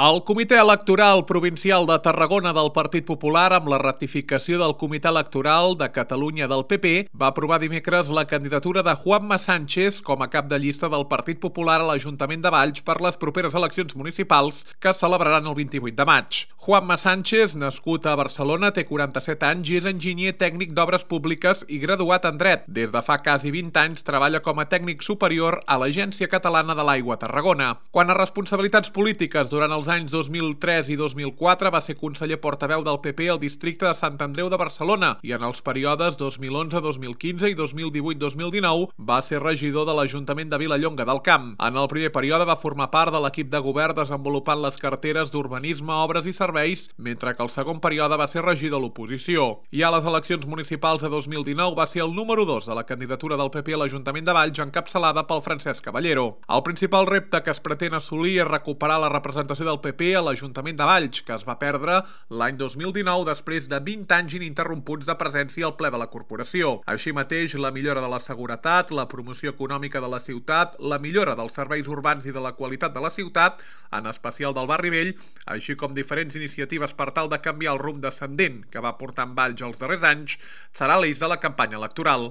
El Comitè Electoral Provincial de Tarragona del Partit Popular, amb la ratificació del Comitè Electoral de Catalunya del PP, va aprovar dimecres la candidatura de Juanma Sánchez com a cap de llista del Partit Popular a l'Ajuntament de Valls per les properes eleccions municipals que es celebraran el 28 de maig. Juanma Sánchez, nascut a Barcelona, té 47 anys i és enginyer tècnic d'obres públiques i graduat en dret. Des de fa quasi 20 anys treballa com a tècnic superior a l'Agència Catalana de l'Aigua a Tarragona. Quant a responsabilitats polítiques, durant els anys 2003 i 2004 va ser conseller portaveu del PP al districte de Sant Andreu de Barcelona i en els períodes 2011-2015 i 2018-2019 va ser regidor de l'Ajuntament de Vilallonga del Camp. En el primer període va formar part de l'equip de govern desenvolupant les carteres d'urbanisme, obres i serveis, mentre que el segon període va ser regidor de l'oposició. I a les eleccions municipals de 2019 va ser el número 2 de la candidatura del PP a l'Ajuntament de Valls, encapçalada pel Francesc Caballero. El principal repte que es pretén assolir és recuperar la representació del PP a l'Ajuntament de Valls, que es va perdre l'any 2019 després de 20 anys ininterromputs de presència al ple de la corporació. Així mateix, la millora de la seguretat, la promoció econòmica de la ciutat, la millora dels serveis urbans i de la qualitat de la ciutat, en especial del barri vell, així com diferents iniciatives per tal de canviar el rumb descendent que va portar en Valls els darrers anys, serà l'eix de la campanya electoral.